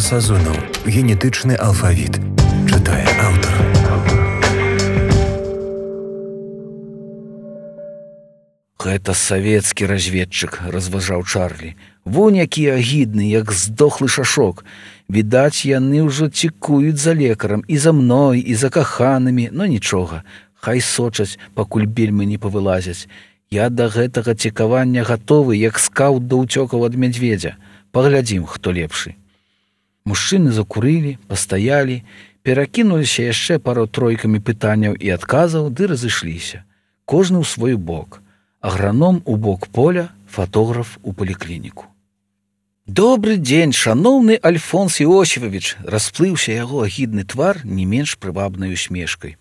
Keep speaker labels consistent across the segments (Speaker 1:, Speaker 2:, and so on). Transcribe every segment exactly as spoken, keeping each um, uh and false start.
Speaker 1: Сазонаў. Генетычны алфавіт. Чытае аўтар.
Speaker 2: Гэта савецкі разведчык, разважаў Чарлі. Вунь які агідны, як здохлы шашок. Відаць, яны ўжо цікуюць за лекарам, і за мной, і за каханымі, но нічога. Хай сочаць, пакуль бельмы не павылазяць. Я да гэтага цікавання гатовы, як скаут да ўцёкаў ад мядзведзя. Паглядзім, хто лепшы. Мужчыны закурылі, пастаялі, перакінуліся яшчэ пару-тройкамі пытанняў і адказаў, ды разышліся. Кожны ў свой бок. Аграном у бок поля, фатограф у паліклініку. «Добры дзень, шаноўны Альфонс Іосіфавіч!» расплыўся яго агідны твар не менш прывабнай усмешкай.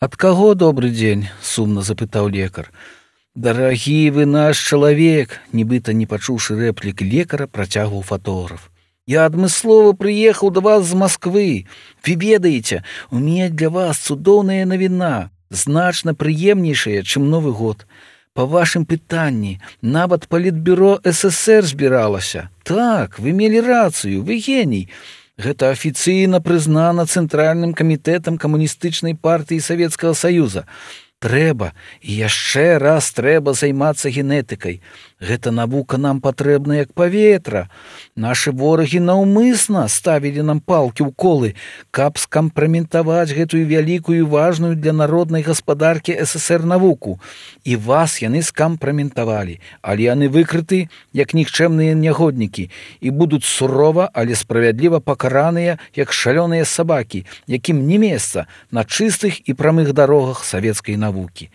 Speaker 2: «Ад каго добры дзень?» – сумна запытаў лекар. «Дарагі вы наш чалавек!» – нібыта не пачуўшы рэплік лекара, працягваў фатограф. «Я адмыслова прыехаў да вас з Масквы. Вы ведаеце, у мяне для вас цудоўная навіна, значна прыемнейшая, чым Новы год. Па вашым пытанні, нават палітбюро эс эсэр збіралася. Так, вы мелі рацыю, вы геній. Гэта афіцыйна прызнана Цэнтральным камітэтам камуністычнай партыі Савецкага Саюза. Трэба, і яшчэ раз трэба займацца генетыкай. Гэта навука нам патрэбна як паветра. Нашы ворагі наўмысна ставілі нам палкі ў колы, каб скампраметаваць гэтую вялікую і важную для народнай гаспадаркі эс эсэр навуку. І вас яны скампраметавалі, але яны выкрыты як нікчэмныя нягоднікі і будуць сурова, але справядліва пакараныя, як шалёныя сабакі, якім не месца на чыстых і прамых дарогах савецкай навукі.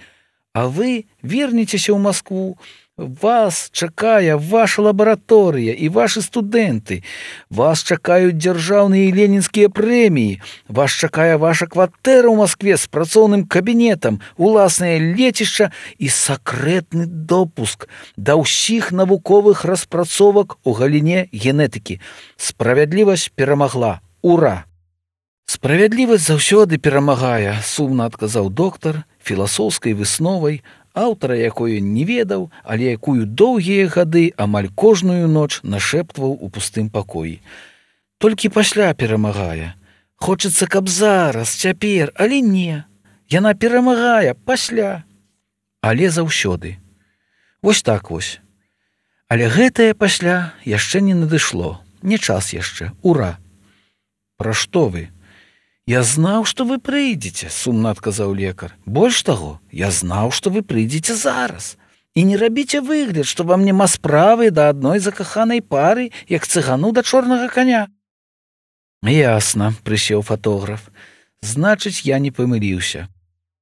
Speaker 2: А вы вернецеся ў Маскву. Вас чакае ваша лабараторыя і вашы студэнты. Вас чакаюць дзяржаўныя і ленінскія прэміі. Вас чакае ваша кватэра ў Маскве з працоўным кабінетам, уласнае лецішча і сакрэтны допуск да ўсіх навуковых распрацовак у галіне генетыкі. Справядлівасць перамагла. Ура! «Справядлівасць заўсёды перамагае», – сумна адказаў доктар філасофскай высновай, аўтара якой не ведаў, але якую доўгія гады амаль кожную ноч нашэптваў у пустым пакоі. «Толькі пасля перамагае. Хочацца, каб зараз, цяпер, але не. Яна перамагае пасля. Але заўсёды. Вось так вось. Але гэтае пасля яшчэ не надышло. Не час яшчэ. Ура!» «Пра што вы?» «Я знаў, што вы прыйдзеце», – сумна адказаў лекар. «Больш таго, я знаў, што вы прыйдзеце зараз. І не рабіце выгляд, што вам няма справы да адной закаханай пары, як цыгану да чорнага каня». «Ясна», – прысеў фатограф. «Значыць, я не памыліўся.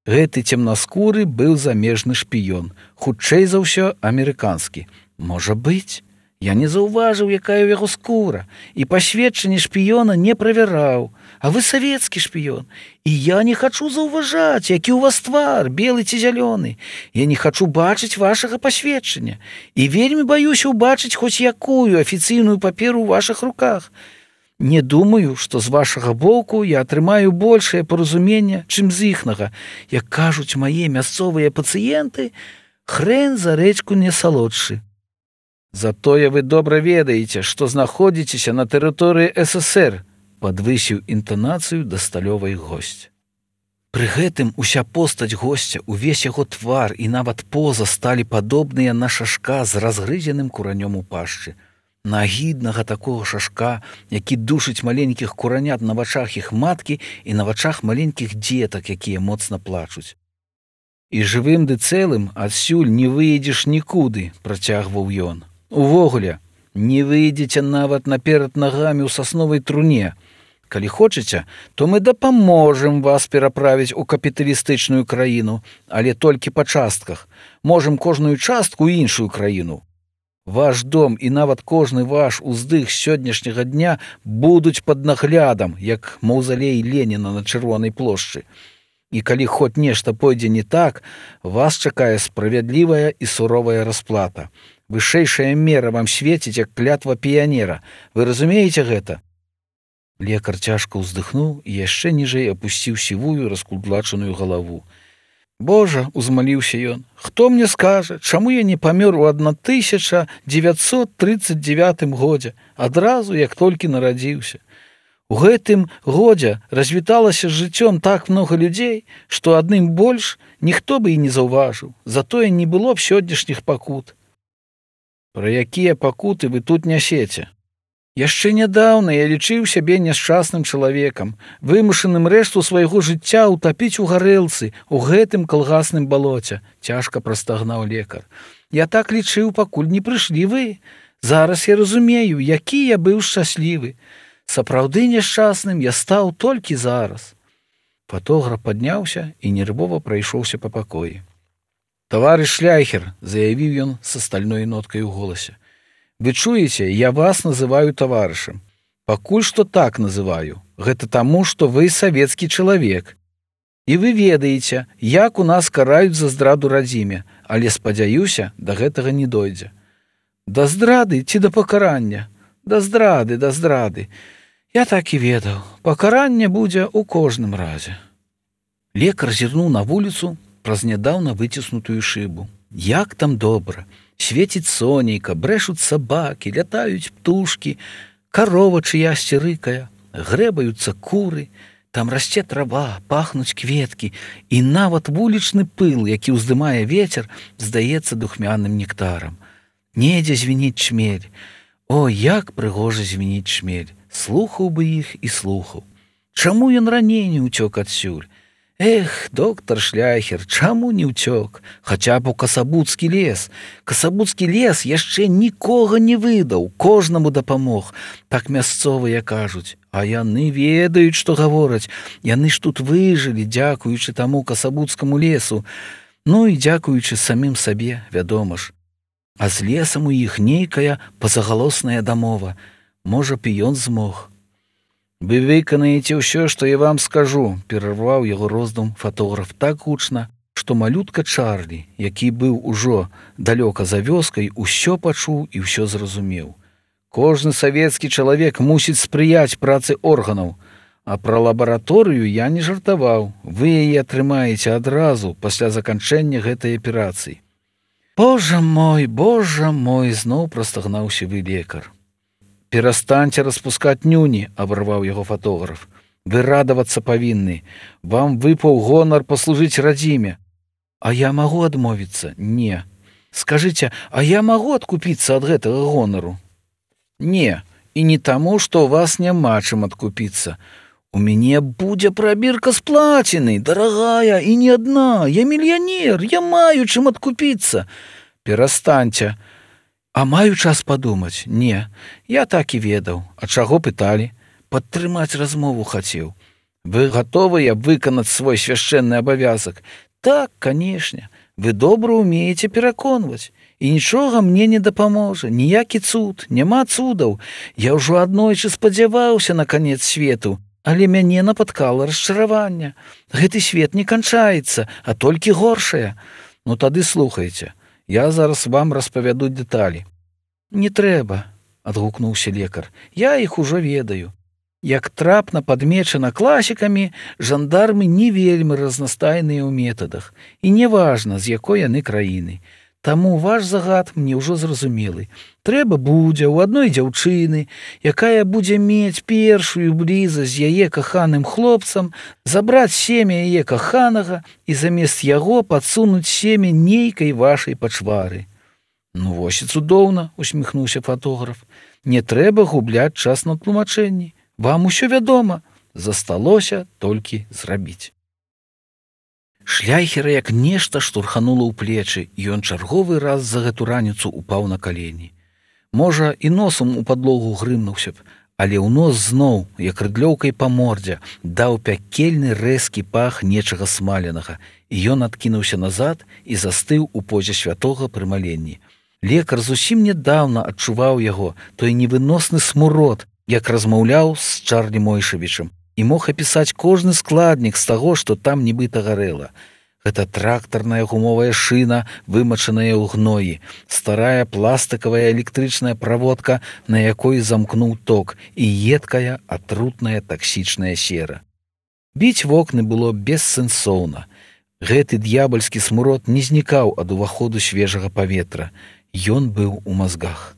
Speaker 2: Гэты цемнаскуры быў замежны шпіён, хутчэй за ўсё амерыканскі. Можа быць. Я не заўважыў, якая ў яго скура, і пасведчанне шпіёна не правяраў. А вы савецкі шпіён. І я не хачу заўважаць, які ў вас твар, белы ці зялёны. Я не хачу бачыць вашага пасведчання. І вельмі баюся ўбачыць хоць якую афіцыйную паперу ў вашых руках. Не думаю, што з вашага боку я атрымаю большае паразуменне, чым з іхнага. Як кажуць мае мясцовыя пацыенты, хрэн за рэчку не салодшы. Затое вы добра ведаеце, што знаходзіцеся на тэрыторыі эс эсэр», падвысіў інтанацыю да сталёвай госць. Пры гэтым уся постаць госця, увесь яго твар і нават поза сталі падобныя на шашка з разгрызеным куранём у пашчы. На агіднага такога шашка, які душыць маленькіх куранят на вачах іх маткі і на вачах маленькіх дзетак, якія моцна плачуць. «І жывым ды цэлым адсюль не выедзеш нікуды», – працягваў ён. «Увогуле, не выйдзеце нават наперад нагамі ў сасновай труне. Калі хочаце, то мы дапаможам вас пераправіць у капіталістычную краіну, але толькі па частках. Можам кожную частку ў іншую краіну. Ваш дом і нават кожны ваш уздых сённяшняга дня будуць пад наглядам, як маўзалей Леніна на Чырвонай плошчы. І калі хоць нешта пойдзе не так, вас чакае справядлівая і суровая расплата. Вышэйшая мера вам свеціць, як клятва піянера. Вы разумееце гэта?» Лекар цяжка ўздыхнуў і яшчэ ніжэй апусціў сівую раскудлачаную галаву. Божа, узмаліўся ён, хто мне скажа, чаму я не памёр у тысяча дзевяцьсот тридцать девятым годзе, адразу як толькі нарадзіўся. У гэтым годзе развіталася з жыццём так многа людзей, што адным больш ніхто бы і не заўважыў, затое не было б сённяшніх пакут. Пра якія пакуты вы тут нясеце? Яшчэ нядаўна я лічыў сябе няшчасным чалавекам, вымушаным рэшту свайго жыцця ўтапіць у гарэлцы, у гэтым калгасным балоце, цяжка прастагнаў лекар. Я так лічыў, пакуль не прыйшлі вы. Зараз я разумею, які я быў шчаслівы. Сапраўды няшчасным я стаў толькі зараз. Фатограф падняўся і нервова прайшоўся па пакоі. Таварыш Шляйхер, заявіў ён са стальной ноткай у голасе. Вы чуеце, я вас называю таварышам. Пакуль што так называю. Гэта таму, што вы савецкі чалавек. І вы ведаеце, як у нас караюць за здраду радзіме, але, спадзяюся, да гэтага не дойдзе. Да здрады ці да пакарання? Да здрады, да здрады. Я так і ведаў. Пакаранне будзе ў кожным разе. Лекар зірнуў на вуліцу праз нядаўна выціснутую шыбу. Як там добра! Светіць сонейка, брэшуць сабакі, лятаюць птушкі, карова чыясьці рыкае, грэбаюцца куры, там расце трава, пахнуць кветкі, і нават вулічны пыл, які ўздымае вецер, здаецца духмяным нектарам. Недзе звініць чмель. О, як прыгожа звініць чмель! Слухаў бы іх і слухаў. Чаму ён раней не ўцёк адсюль? Эх, доктар Шляйхер, чаму не ўцёк? Хаця б у Касабуцкі лес. Касабуцкі лес яшчэ нікога не выдаў, кожнаму дапамог. Так мясцовыя кажуць. А яны ведаюць, што гавораць. Яны ж тут выжылі, дзякуючы таму Касабуцкаму лесу. Ну і дзякуючы самім сабе, вядома ж. А з лесам у іх нейкая пазагалосная дамова. Можа б і ён змог. Вы выканаеце ўсё, што я вам скажу, перарваў яго роздум фатограф так гучна, што малютка Чарлі, які быў ужо далёка за вёскай, усё пачуў і ўсё зразумеў. Кожны савецкі чалавек мусіць спрыяць працы органаў, а пра лабараторыю я не жартаваў. Вы яе атрымаеце адразу пасля заканчэння гэтай аперацыі. Божа мой, божа мой, зноў прастагнаў сівы лекар. «Перастаньце распускаць нюні», — абарваў яго фатограф. «Вы радавацца павінны. Вам выпаў гонар паслужыць радзіме. А я магу адмовіцца? Не. Скажыце, а я магу адкупіцца ад гэтага гонару? Не. І не таму, што ў вас няма чым адкупіцца. У мяне будзе прабірка з плаціны, дарагая, і не адна. Я мільянер, я маю чым адкупіцца. Перастаньце. А маю час падумаць? Не, я так і ведаў. А чаго пыталі? Падтрымаць размову хацеў. Вы гатовыя выканаць свой свяшчэнны абавязак? Так, канешне. Вы добра ўмееце пераконваць. І нічога мне не дапаможа, ніякі цуд, няма цудаў. Я ўжо аднойчы спадзяваўся на канец свету, але мяне напаткала расчараванне. Гэты свет не канчаецца, а толькі горшае. Ну тады слухайце. Я зараз вам распавяду дэталі. Не трэба, адгукнуўся лекар. Я іх ужо ведаю. Як трапна падмечана класікамі, жандармы не вельмі разнастайныя ў метадах. І неважна, з якой яны краіны. Таму ваш загад мне ўжо зразумелы. Трэба будзе ў адной дзяўчыны, якая будзе мець першую блізасць з яе каханым хлопцам, забраць семя яе каханага і замест яго падсунуць семя нейкай вашай пачвары. Ну вось і цудоўна, усміхнуўся фатограф. Не трэба губляць час на тлумачэнні. Вам усё вядома. Засталося толькі зрабіць. Шляйхера як нешта штурханула ў плечы, і ён чарговы раз за гэту раніцу упаў на калені. Можа, і носам у падлогу грымнуўся б, але ў нос зноў, як рыдлёўкай па мордзе, даў пякельны рэзкі пах нечага смаленага, і ён адкінуўся назад і застыў у позе святога прымаленні. Лекар зусім нядаўна адчуваў яго, той невыносны смурод, як размаўляў з Чарлі Мойшавічам, і мог апісаць кожны складнік з таго, што там нібыта гарэла. Гэта трактарная гумовая шына, вымачаная ў гноі, старая пластыкавая электрычная праводка, на якой замкнуў ток, і едкая, атрутная таксічная сера. Біць вокны было бессэнсоўна. Гэты д'ябальскі смурод не знікаў ад уваходу свежага паветра. Ён быў у мазгах.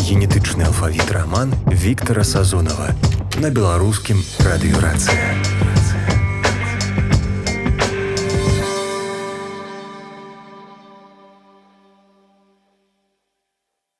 Speaker 1: Генетычны алфавіт раман Віктара Сазонава на беларускім радыёрацыя.